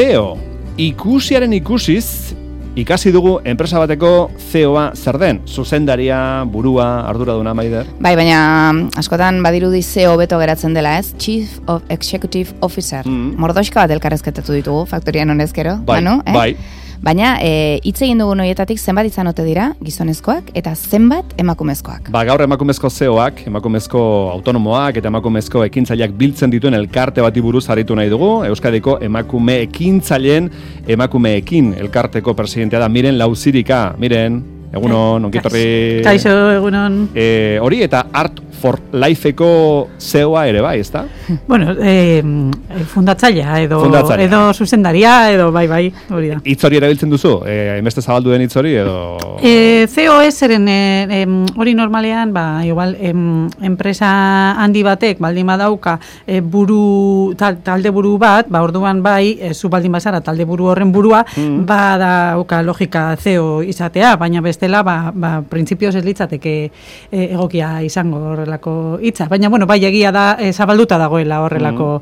CEO. Ikusiaren ikusiz, ikasi dugu enpresa bateko CEO-a zer den, zuzendaria, burua, arduraduna, Maider? Bai, baina askotan badirudi CEO beto geratzen dela, ez? Chief of Executive Officer. Mordoxka bat elkarrezketatu ditugu, faktorian honezkero. Bai, Manu, bai. Baina, hitz egin dugun horietatik zenbat izan ote dira gizonezkoak eta zenbat emakumezkoak. Gaur emakumezko CEO-ak, emakumezko autonomoak eta emakumezko ekintzaileak biltzen dituen elkarte bati buruz aritu nahi dugu. Euskadiko emakume ekintzaileen emakumeekin elkarteko presidentea da Miren Lauzirika. Miren, egunon, onkitorri. Kaixo, egunon. Hori eta Art for Lifeko CEO-a ere bai, ezta? Bueno, fundatzailea edo zuzendaria edo bai, hori da. Hitz hori erabiltzen duzu? Hainbeste zabaldu den hitz hori edo? COS-eren hori normalean, igual, enpresa handi batek baldin badauka talde buru bat, orduan bai, zu baldin bazara talde buru horren burua, badauka logika CEO izatea, baina bestela, printzipioz ez litzateke egokia izango horrelako hitza. Baina, bueno, bai, egia da, zabalduta dagoela horrelako,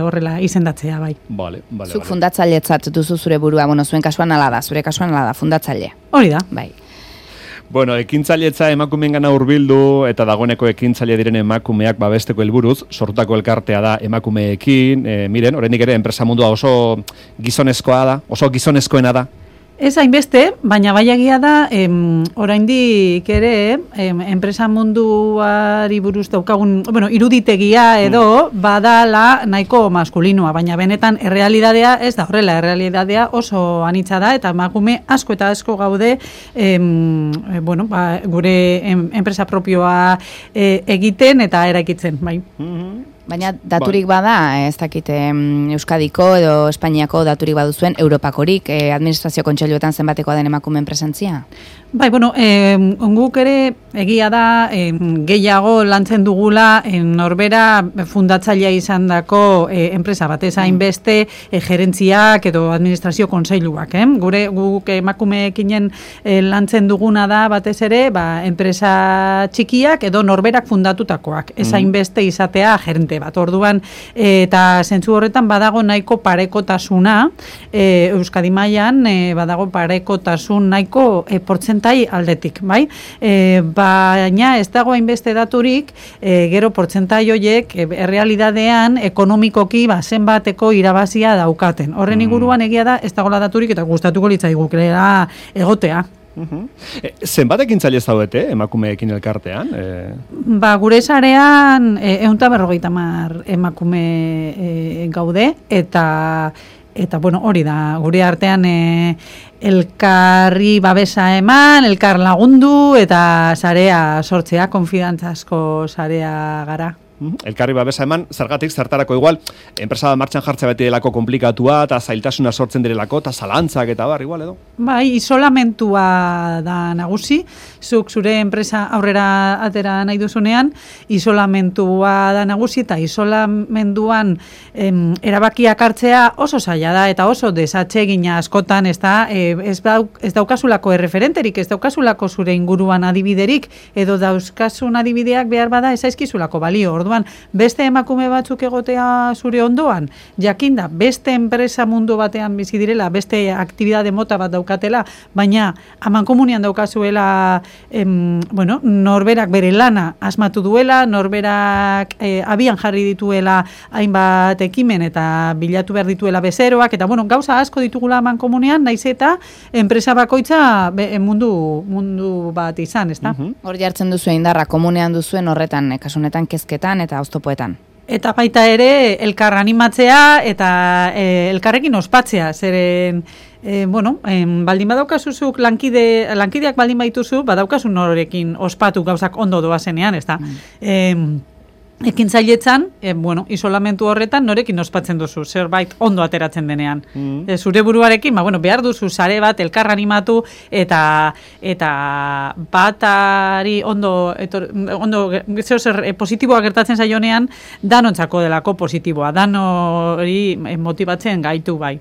horrela izendatzea, bai. Vale. Zuk fundatzailetzat duzu zure burua, bueno, zure kasuan ala da, fundatzaile. Hori da. Bai. Bueno, ekintzailetza emakumeengana hurbildu eta dagoeneko ekintzaile diren emakumeak babesteko helburuz, sortutako elkartea da emakumeekin. Miren, oraindik ere enpresa mundua oso gizonezkoa da, oso gizonezkoena da. Ez hainbeste, baina bai egia da, oraindik ere, enpresa munduari buruz daukagun, iruditegia edo, badala nahiko maskulinoa, baina benetan errealitatea ez da horrela, errealitatea oso anitza da, eta emakume asko eta asko gaude, gure enpresa propioa egiten eta eraikitzen, bai. Baina daturik bada, ez dakit Euskadiko edo Espainiako daturik baduzuen, Europakorik, administrazio kontseiluetan zenbatekoa den emakumeen presentzia? Bai, guk ere egia da gehiago lantzen dugula norbera fundatzailea izandako enpresa bat, ez hainbeste gerentziak edo administrazio kontseiluak. Guk emakumeekinen lantzen duguna da batez ere, enpresa txikiak edo norberak fundatutakoak, ez hainbeste izatea gerente bat. Orduan, eta zentzu horretan badago nahiko parekotasuna, Euskadi mailan badago parekotasun nahiko portzentai aldetik, bai? Baina ez dago hainbeste daturik, gero portzentai horiek errealitatean ekonomikoki zenbateko irabazia daukaten. Horren inguruan egia da, ez dagoela daturik eta gustatuko litzaiguk egotea. Zenbat ekintzaile ez zaudete emakumeekin elkartean? Gure sarean 150 emakume gaude eta hori da, gure artean elkarri babesa eman, elkar lagundu eta sarea sortzea, konfidantzazko sarea gara. Elkarri babesa eman, zertarako igual, enpresa martxan jartzea beti delako komplikatua, eta zailtasuna sortzen direlako, eta zalantzak eta igual edo? Bai, isolamentua da nagusi, zuk zure enpresa aurrera atera nahi duzunean, isolamentua da nagusi, eta isolamenduan erabakiak hartzea oso zaila da, eta oso desatsegina askotan, ez daukasulako erreferenterik, ez daukasulako zure inguruan adibiderik, edo dauzkasun adibideak behar bada ez aizkizulako balio. Orduan, beste emakume batzuk egotea zure ondoan, jakinda, beste enpresa mundu batean bizi direla, beste aktibitate mota bat daukatela, baina amankomunian daukazuela, norberak bere lana asmatu duela, norberak abian jarri dituela hainbat ekimen eta bilatu behar dituela bezeroak, eta gauza asko ditugula amankomunian, naiz eta enpresa bakoitza mundu bat izan, ezta? Hor jartzen duzu indarra, komunean duzuen horretan, kasunetan kezketan eta oztopoetan. Eta baita ere, elkar animatzea eta elkarrekin ospatzea, zeren, baldin badaukazuzuk lankideak baldin baituzu, badaukasun norekin ospatu gauzak ondo doazenean, ez da? Ekintzailetzan, isolamentu horretan norekin ospatzen duzu, zerbait ondo ateratzen denean. Zure buruarekin, behar duzu sare bat, elkar animatu, eta batari ondo positiboa gertatzen zaionean, danontzako delako positiboa, dan hori motibatzen gaitu bai.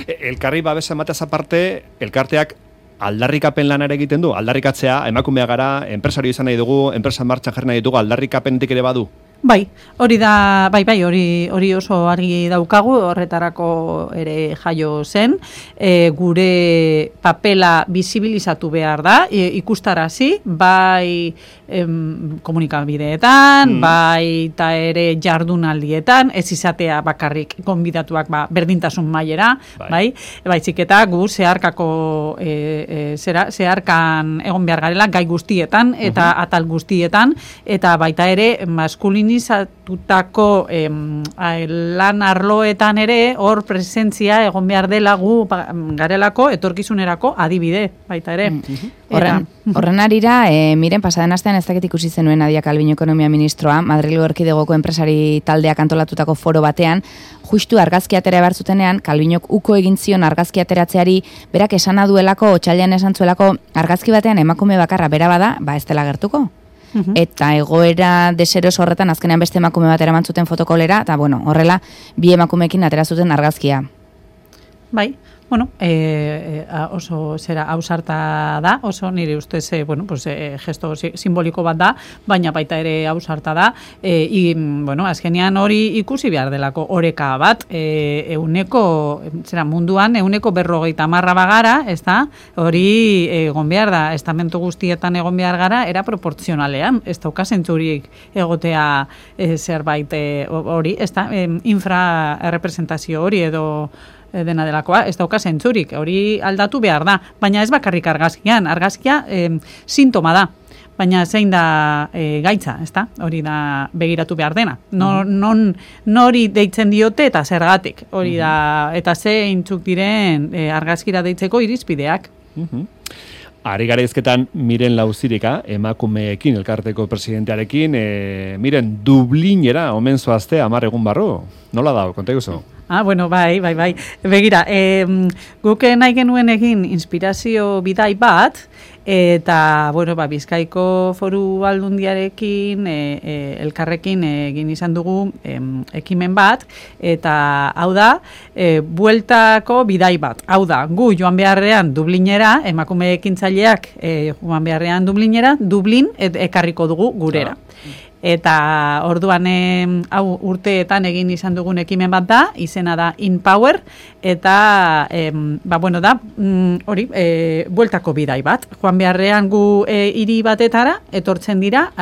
Elkarri babesa emateaz aparte, elkarteak aldarrikapen lanare egiten du, aldarrikatzea, emakumea gara, enpresario izan nahi dugu, enpresa martxan jarri nahi dugu, aldarrikapenetik ere badu? Bai, hori da, hori oso argi daukagu, horretarako ere jaio zen, gure papela bizibilizatu behar da, ikustarazi, bai komunikabideetan, bai eta ere jardunaldietan, ez izatea bakarrik gonbidatuak berdintasun mailera, baizik eta gu zeharkan egon behar garela gai guztietan eta atal guztietan, eta baita ere maskulinizatutako lan arloetan ere hor presentzia egon behar dela gu garelako etorkizunerako adibide baita ere. Horren arira, miren, pasaden astean ez dakit ikusi zenuen Nadia Calviño ekonomia ministroa, Madrilgo Erkidegoko enpresari taldeak antolatutako foro batean, justu argazki atera behar zutenean, Calviñok uko egin zion argazki ateratzeari, berak esana duelako, otsailean esan zuelako, argazki batean emakume bakarra bera bada, ez dela gertuko. Eta egoera deseros horretan azkenean beste emakume bat eraman zuten fotokolera, eta horrela, bi emakumeekin atera zuten argazkia. Bai. Oso ausarta da, oso nire ustez, gesto simboliko bat da, baina baita ere ausarta da, azkenean hori ikusi behar delako oreka bat, munduan, 50% bagara, ez da, hori egon behar da, estamentu guztietan egon behar gara, era proportzionalean, ez dauka zentzurik egotea zerbait hori, ez da, infrarrepresentazio hori edo dena delakoa, ez dauka zentzurik, hori aldatu behar da, baina ez bakarrik argazkia sintoma da, baina zein da gaitza, ez da, hori da begiratu behar dena, nori deitzen diote eta zergatik, hori da, eta zeintzuk diren argazkira deitzeko irizpideak. Ari gara izketan Miren Lauzirika, emakumeekin, elkarteko presidentearekin, Miren, Dublinera omen zoazte 10 egun barru, nola da, konta iguzu? Bai. Begira, guk nahi genuen egin inspirazio bidai bat, eta, Bizkaiko Foru Aldundiarekin, elkarrekin egin izan dugu ekimen bat, eta hau da, bueltako bidai bat. Hau da, gu joan beharrean Dublinera, emakume ekintzaileak joan beharrean Dublinera, Dublin ekarriko dugu gurera. Eta orduan hau urteetan egin izan dugun ekimen bat da, izena da InPower, eta hori, bueltako bidai bat. Joan beharrean gu hiri batetara, etortzen dira,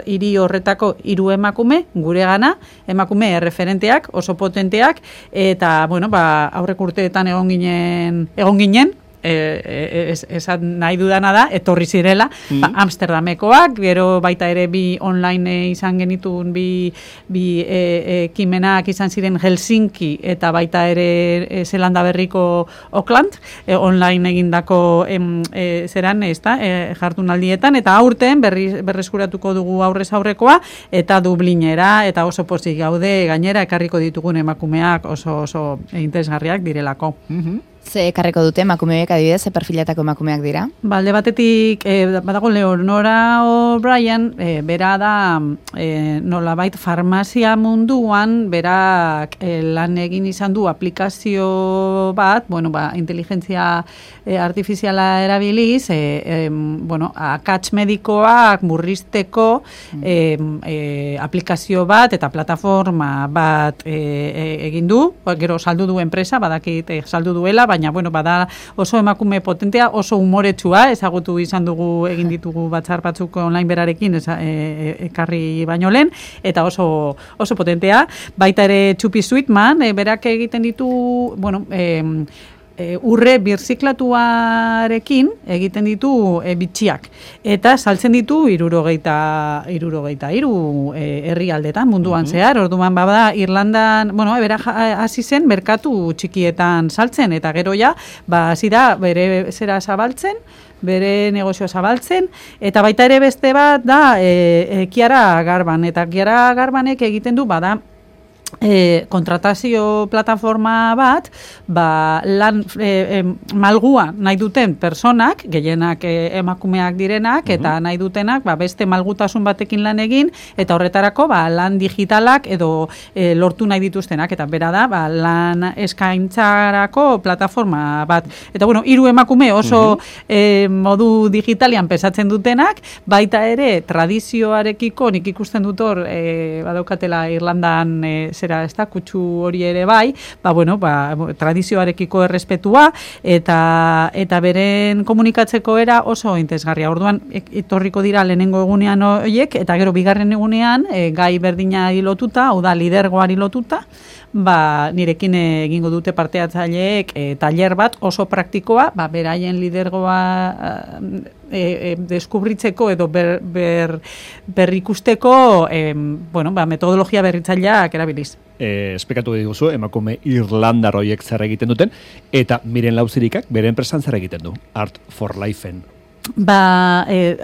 hiri horretako 3 emakume, gure gana, emakume erreferenteak, oso potenteak, eta aurrek urteetan egon ginen, esan nahi dudana da, etorri zirela, Amsterdamekoak, gero baita ere bi online izan genitun, bi ekimenak izan ziren Helsinki, eta baita ere Zelanda Berriko Auckland, online egindako jardunaldietan, eta aurten berreskuratuko dugu aurrez aurrekoa, eta Dublinera, eta oso pozik gaude, gainera ekarriko ditugun emakumeak oso interesgarriak direlako. Ze ekarriko dute emakumeak adibidez, ze perfilatako emakumeak dira? Alde batetik, badago Leonora O'Brien, bera da nolabait farmazia munduan, berak lan egin izan du aplikazio bat, inteligentzia artifiziala erabiliz, akats medikoak murrizteko aplikazio bat eta plataforma bat egin du, gero saldu du enpresa, badakit saldu duela, baina bada oso emakume potentea, oso umoretsua, ezagutu izan dugu, egin ditugu batzar batzuk online berarekin ekarri baino lehen, eta oso potentea. Baita ere Txupi Sweetman, berak egiten ditu, urre birziklatuarekin egiten ditu bitxiak. Eta saltzen ditu 63 herrialdetan munduan zehar. Orduan bada Irlandan, bera hasi zen merkatu txikietan saltzen, eta gero ja, hasi da bere zera zabaltzen, bere negozioa zabaltzen, eta baita ere beste bat da Kiara Garban, eta Kiara Garbanek egiten du bada kontratazio plataforma bat, lan malgua nahi duten personak, gehienak emakumeak direnak, eta nahi dutenak beste malgutasun batekin lan egin, eta horretarako lan digitalak edo lortu nahi dituztenak, eta bera da, lan eskaintzarako plataforma bat. Eta bueno, 3 emakume oso modu digitalian pesatzen dutenak, baita ere tradizioarekiko, nik ikusten dut hor, badaukatela Irlandan kutsu hori ere bai, tradizioarekiko errespetua eta beren komunikatzeko era oso interesgarria. Orduan etorriko dira lehenengo egunean horiek, eta gero bigarren egunean gai berdinari lotuta, hau da lidergoari lotuta, nirekin egingo dute parteatzaileek tailer bat oso praktikoa, beraien lidergoa deskubritzeko edo berrikusteko metodologia berritzaileak erabiliz. Esplikatu diguzu, emakume Irlandar horiek zer egiten duten, eta Miren Lauzirikak bere enpresan zer egiten du, Art for Lifeen.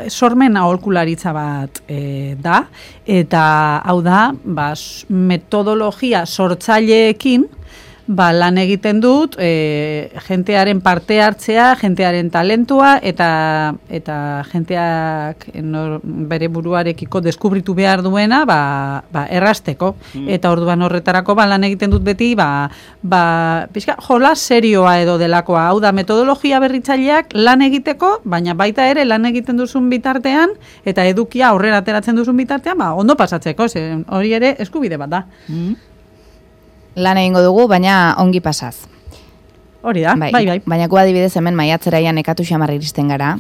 Sormen aholkularitza bat da, eta hau da, metodologia sortzaileekin lan egiten dut, jentearen parte hartzea, jentearen talentua, eta jenteak bere buruarekiko deskubritu behar duena, errasteko. Eta orduan horretarako lan egiten dut beti, jola serioa edo delakoa. Hau da, metodologia berritzaileak lan egiteko, baina baita ere lan egiten duzun bitartean, eta edukia aurrera ateratzen duzun bitartean, ondo pasatzeko, hori ere eskubide bat da. Lan egingo dugu, baina ongi pasaz. Hori da, bai. Baina gu adibidez hemen maiatzeraian nekatu xamarra iristen gara,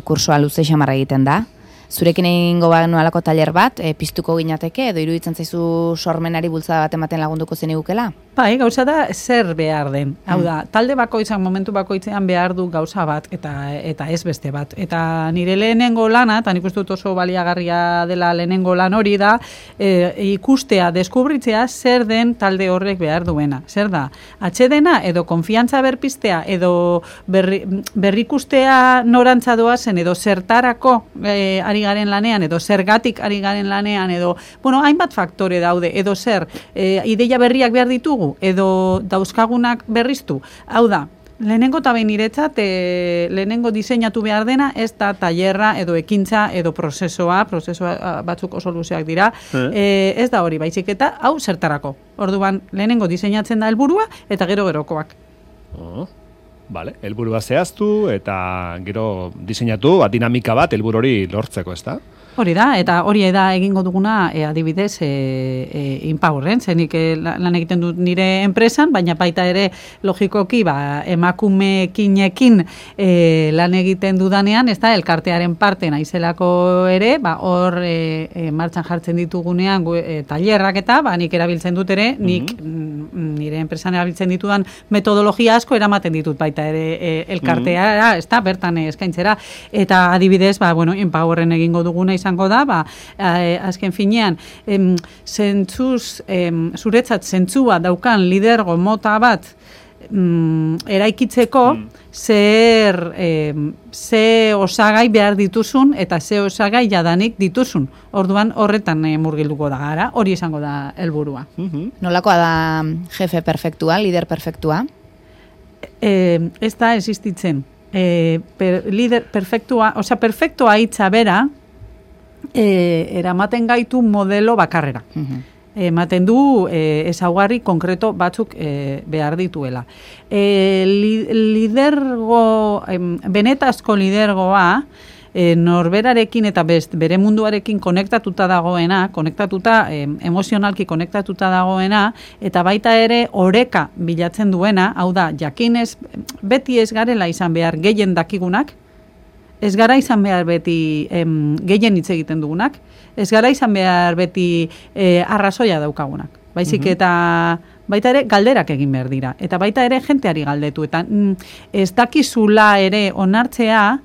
kursoa luze xamarra egiten da. Zurekin egingo alako tailer bat, piztuko ginateke, edo iruditzen zaizu sormenari bultzada bat ematen lagunduko zenigukela? Bai, gauza da zer behar den. Hau da, talde bakoitzan, momentu bakoitzean behar du gauza bat, eta ez beste bat. Eta nire lehenengo lana, eta nik uste dut oso baliagarria dela lehenengo lan hori da, ikustea, deskubritzea zer den talde horrek behar duena. Zer da, atxedena edo konfiantza berpiztea, edo berrikustea norantza doazen, edo zertarako ari garen lanean, edo zergatik ari garen lanean, edo, hainbat faktore daude, edo zer, ideia berriak behar ditugu, edo dauzkagunak berriztu. Hau da, lehenengo eta behin niretzat, lehenengo diseinatu behar dena, ez da tailerra edo ekintza edo prozesua batzuk oso luzeak dira, ez da hori, baizik eta hau zertarako. Orduan, lehenengo diseinatzen da helburua eta gerokoak. Vale, helburua zehaztu eta gero diseinatu, dinamika bat helburu hori lortzeko, ez da? Hori da, eta hori da egingo duguna adibidez Inpowerren, zenik lan egiten dut nire enpresan, baina baita ere logikoki emakumeekinekin lan egiten dudanean, ez da, elkartearen parte naizelako ere, hor martxan jartzen ditugunean tailerrak eta nik erabiltzen dut ere, nik nire enpresan erabiltzen ditudan metodologia asko eramaten ditut baita ere elkarteara, ez da, bertan eskaintzera, eta adibidez, Inpowerren egingo duguna izango da, azken finean, zuretzat zentzua daukan lidergo mota bat eraikitzeko, ze osagai behar dituzun eta ze osagai jadanik dituzun. Orduan horretan murgilduko da gara, hori izango da helburua. Nolakoa da jefe perfektua, lider perfektua? Ez da existitzen. Lider perfektua, perfektua hitza bera, eramaten gaitu modelo bakarrera. Ematen du ezaugarri konkreto batzuk behar dituela. Benetazko lidergoa, norberarekin eta bere munduarekin konektatuta dagoena, emozionalki konektatuta dagoena, eta baita ere oreka bilatzen duena, hau da, jakinez, beti ez garela izan behar gehien dakigunak, ez gara izan behar beti gehien hitz egiten dugunak, ez gara izan behar beti arrazoia daukagunak. Baizik eta baita ere galderak egin behar dira. Eta baita ere jenteari galdetu. Eta ez dakizula ere onartzea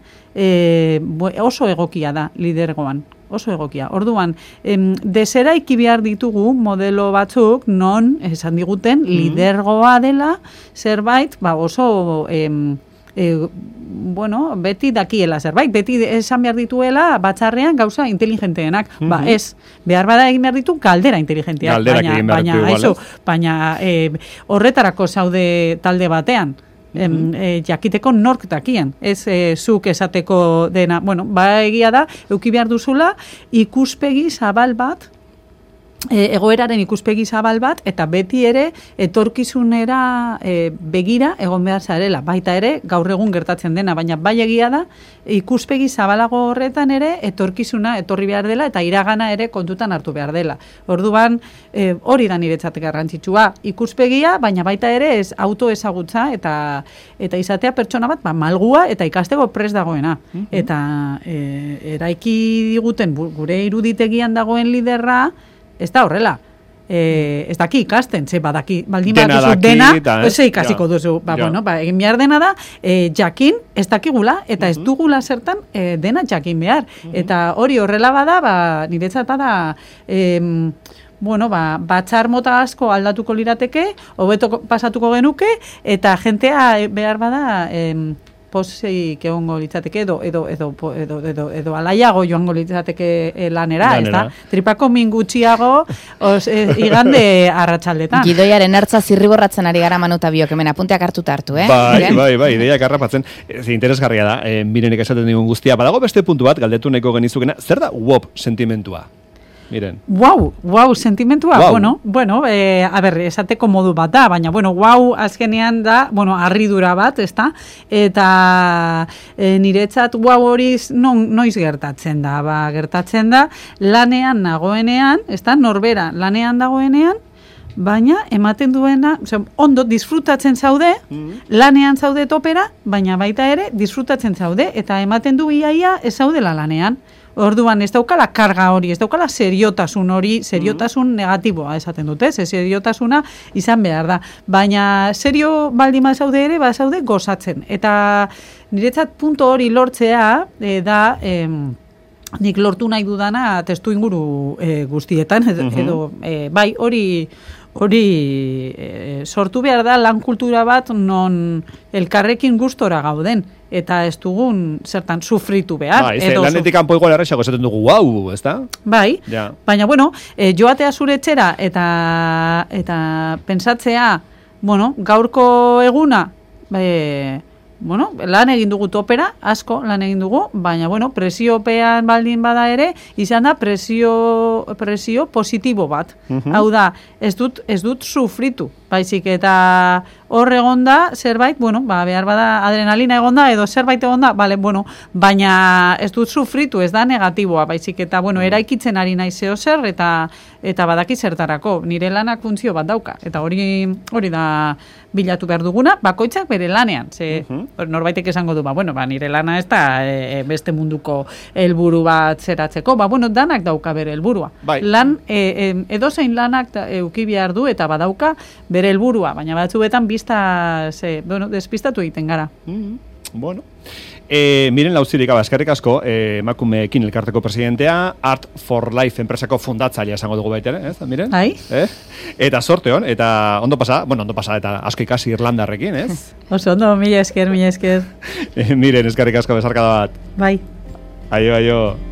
oso egokia da lidergoan. Oso egokia. Orduan, deseraiki behar ditugu modelo batzuk non esan diguten lidergoa dela zerbait oso bueno, beti dakiela zerbait, beti esan behar dituela batzarrean gauza inteligenteenak. Ba, ez, behar bada egin behar ditu galdera inteligenteak. Galderak egin behar ditu igual, baina horretarako zaude talde batean. Jakiteko nork dakien, ez zuk esateko dena, bueno, ba egia da, euki behar duzula ikuspegi zabal bat, egoeraren ikuspegi zabal bat, eta beti ere etorkizunera begira egon behar zarela, baita ere gaur egun gertatzen dena, baina bai egia da ikuspegi zabalago horretan ere etorkizuna etorri behar dela eta iragana ere kontutan hartu behar dela. Orduan hori da niretzat garrantzitsua, ikuspegia, baina baita ere ez autoezagutza eta izatea pertsona bat malgua eta ikasteko prest dagoena. Eta eraiki diguten gure iruditegian dagoen liderra ez da horrela. Ez daki ikasten, badaki, baldin baduzu dena, ze ikasiko duzu. Bueno, egin behar dena da, jakin ez dakigula, eta ez dugula zertan dena jakin behar. Eta hori horrela bada, niretzat da, bueno, batzar mota asko aldatuko lirateke, hobeto pasatuko genuke, eta jentea behar bada, posik egongo litzateke edo alaiago joango litzateke lanera, ez da? Tripako min gutxiago igande arratsaldetan. Gidoiaren ertza zirriborratzen ari gara Manu eta biok, hemen apunteak hartu, Bai, ideiak harrapatzen. Interesgarria da, Mirenek esaten digun guztia. Badago beste puntu bat, galdetu nahiko genizukena, zer da WOP sentimentua? Miren. Wow, sentimentua. Wow. Bueno, esateko modu bat da, baina, wow, azkenean da, harridura bat, ezta? Eta niretzat wow hori noiz gertatzen da, gertatzen da, lanean nagoenean, ezta? Norbera, lanean dagoenean, baina ematen duena, ondo disfrutatzen zaude, lanean zaude topera, baina baita ere disfrutatzen zaude, eta ematen du iaia ez zaudela lanean. Orduan, ez daukala karga hori, ez daukala seriotasun hori, seriotasun negatiboa esaten dute, seriotasuna izan behar da. Baina serio baldin bazaude ere, bazaude gozatzen. Eta niretzat punto hori lortzea da... nik lortu nahi dudana testu inguru guztietan, edo bai, hori sortu behar da lan kultura bat non elkarrekin gustora gauden, eta ez dugun zertan sufritu behar. Lanetik kanpo igual errexako esaten dugu, wow, ez da? Bai, baina, joatea zure etxera eta pentsatzea, gaurko eguna, lan egin dugu topera, asko lan egin dugu, baina, presiopean baldin bada ere, izan da presio positibo bat. Hau da, ez dut sufritu, baizik, eta hor egonda, zerbait, behar bada adrenalina egonda, edo zerbait egonda, baina ez dut sufritu, ez da negatiboa, baizik, eta, eraikitzen ari nahi zeo zer, eta badaki zertarako, nire lanak funtzio bat dauka, eta hori da bilatu behar duguna, bakoitzak bere lanean, norbaitek esango du, nire lana ez da beste munduko helburu bat zeratzeko, danak dauka bere helburua. Lan, edozein lanak euki behar du eta badauka bere helburua, baina batzuetan despistatu egiten gara. Miren Lauzirika, eskerrik asko, emakumeekin elkarteko presidentea, Art for Life enpresako fundatzailea esango dugu baita, ez? Miren? Eta sorte hon, eta ondo pasa, eta asko ikasi Irlandarrekin, ez? Oso ondo, mila esker. Miren, eskerrik asko, besarkada bat. Bai. Aio.